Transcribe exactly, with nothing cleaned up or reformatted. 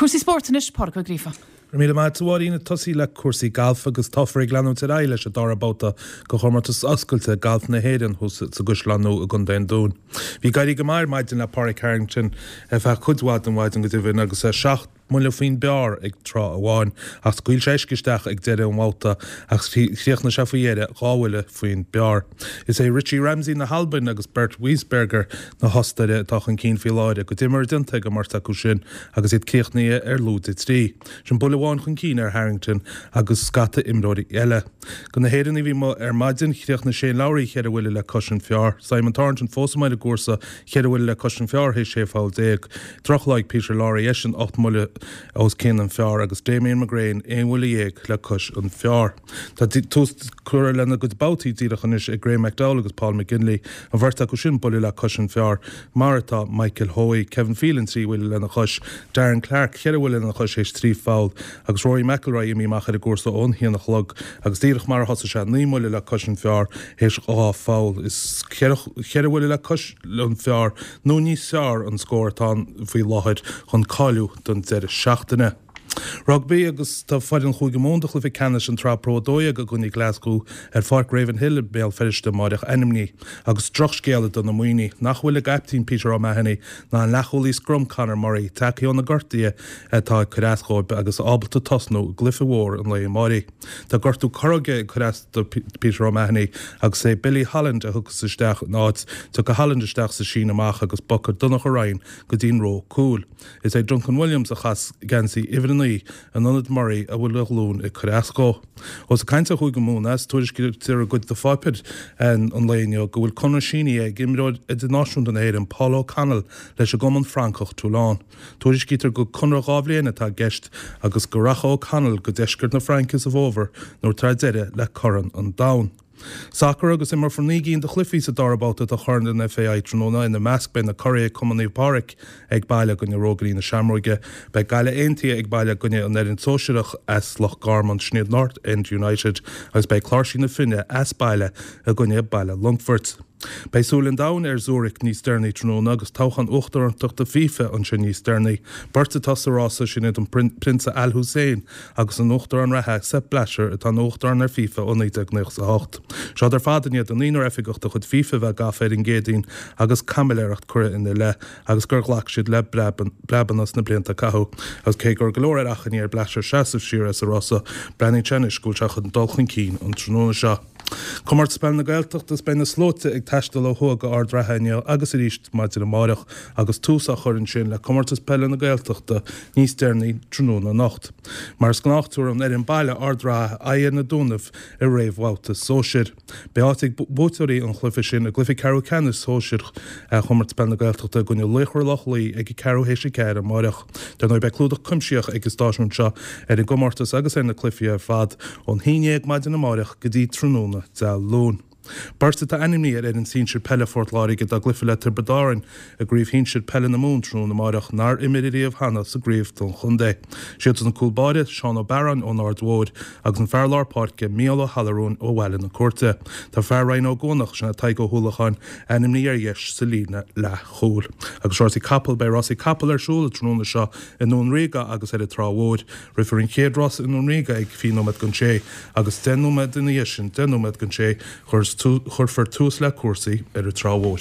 Cúrsaí spóirt anois Pádraig Ó Gríofa. Míle maith a Mháirín ag tosaí le cúrsaí gailf agus táthar ag leanúint ar aghaidh leis an dara babhta de chomórtas oscailte Gailf na hÉireann thuas sa gCaisleán Nua i gContae an Dúin. Bhí ag éirí go maith ar maidin le Pádraig Harrington ar feadh cuid mhaith den mhaidin go deimhin agus é seacht mbuille faoin bpar ag tráth amháin ach scaoil sé uisce isteach ag deireadh an bhabhta ach chríochnaigh sé faoi dheireadh dhá bhuille faoin bpar. Is é Richie Ramsay na hAlban agus Bert Wiesberger na hOstaire atá chun cinn faoi láthair a gcuid imeartha déanta ag an mbeirt acu sin agus iad críochnaithe ar lúide trí. Sin buille amháin chun cinn ar Harrington agus scata imreoirí eile. De na hÉireannaigh a bhí amuigh ar maidin chríochnaigh Shane Lowry cheithre bhuille le cois an phar, Simon Thornton fós amuigh ar an gcúrsa cheithre bhuille le cois an phar théis sé pholl déag. Drochlá ag Peter Lawrie eisean ocht mbuille os cionn an phar agus Damien McGrane aon bhuille dhéag le cois an phar. Tá tús curtha lena gcuid babhtaí díreach anois ag Graeme McDowell agus Paul McGinley an bheirt acu sin buille le cois an phar mar atá Michael Hoey, Kevin Phelan trí bhuille lena chois, Darren Clarke ceithre bhuille lena chois théis trí pholl agus Rory McIlroy imithe amach ar an gcúrsa ón haon a chlog agus díreach mar a thosaigh sé naoi mbuille le cois an phar théis dhá pholl is ceithre bhuille le cois an phar nó níos fearr an scór atá faoi láthair chun cáiliú don deireadh seachtaine. Rugbaí agus tá foireann Chúige Mumhan do chluiche ceannais an tSraith Pro a dó dhéag i gcoinne Glasgow ar Pháirc Ravenhill i mBéal Feirste amárach ainmnithe agus drochscéala do na Muimhnigh nach bhfuil a gcaiptín Peter O'Mahony ná an leathchúlaí scrum Conor Murray tagtha ó na gortuithe atá ag cur as dóibh agus ábalta tosnú i gcluiche mhór an lae amáirigh. Tá gortú corróige ag cur as do Peter O'Mahony agus é Billy Holland a thiocfas isteach ina áit tiocfaidh Holland isteach sa síneadh amach agus bogfaidh Donnacha Ryan go dtí'n ró cúil. Is é Duncan Williams a chaithfeas geansaí uimhir a naoi in ionad Murray a bhfuil a ghlúin ag cur as dó. Ós ag caint ar Chúige Mumhan is tuairiscítear i gcuid de pháipéir an lae inniu go bhfuil conradh sínithe ag imreoir idirnáisiúnta na hÉireann Paul O'Connell leis an gcumann Francach Toulon. Tuairiscítear go conradh dhá bhliain atá i gceist agus go rachaidh O'Connell go deisceart na Fraince sa bhfómhar nuair atá deireadh le Corn an Domhain. Sacar agus imreofar naoi gcinn de chluichí sa dara babhta de Chorn an FAI tráthnóna ina measc beidh na curaidh Cumann Naomh Pádraig ag baile i gcoinne Rógairí na Seamróige, beidh Gaillimh Aontaithe ag baile i gcoinne an fhoireann sóisearach as Loch Garman sin iad North End United agus beidh Cláirsigh na Finne as baile i gcoinne Baile Longfoirt. Beidh súil an domhain ar Zurich níos deireanaí tráthnóna agus toghchán uachtaránachta FIFA ansin níos deireanaí. Beirt atá sa rása sin iad an Prionsa Al Hussein agus an uachtarán reatha Sepp Blatter atá ina uachtarán ar FIFA ó naoi déag nócha a hocht. Seo ar fad i ndiaidh do naonúr oifigeach de chuid FIFA bheith gafa ar an gCéadaoin agus caimiléireacht curtha ina leith agus gur ghlac siad le breabanna sna blianta a caitheadh. Agus cé go raibh go leor ar achainí ar Blatter seasamh siar as an rása, breathnaíonn sé anois go bhfuil sé chun dul chun cinn an tráthnóna seo. Comórtas Peile na Gaeltachta is beidh na slóite ag taisteal ó thuaidh go Ard Ratha inniu agus arís maidin amárach agus tús á chur ansin le Comórtas Peile na Gaeltachta níos deireanaí tráthnóna anocht. Mar is gnách tabharfaidh an fhoireann baile Ard Ratha aghaidh ar na Dúnaibh i réamhbhabhta sóisir. Beidh áit ag buaiteoirí an chluiche sin i gcluiche ceathrú ceannais sóisir Chomórtas Peile na Gaeltachta i gcoinne Laochra Loch Lao ag ceathrú théis a ceathair amárach. Dar ndóigh beidh clúdach cuimsitheach ag an stáisiún seo ar an gcomórtas agus ar na cluichí ar fad ón haon déag maidin amárach go dtí tráthnóna Dé Luain. Beirt atá ainmnithe ar fhoireann sinsir peile Phort Láirge dá gcluiche le Tiobraid Árann i gcraobh shinsir peile na Mumhan tráthnóna amárach nár imir riamh cheana sa gcraobh don chontae. Siad an cúl báire Seán Ó Bearáin ón Aird Mhóir agus an fear lár páirce Mícheál Ó hAllarún ó Bhaile na Cúirte. Tá fear Rinn Ó gCuanach sin Tadhg Ó hUallacháin ainmnithe ar dheis sa líne leathchúil. Agus rásaí capall beidh rásaí capall ar siúl tráthnóna seo i nDún Ríoga agus ar an Trá Mhór. Rithfear an chéad rás i nDún Ríoga ag fiche nóiméad don sé agus deich nóiméad ina dhiaidh sin deich nóiméad don sé chuirfear tús le cúrsaí ar an Trá Mhór.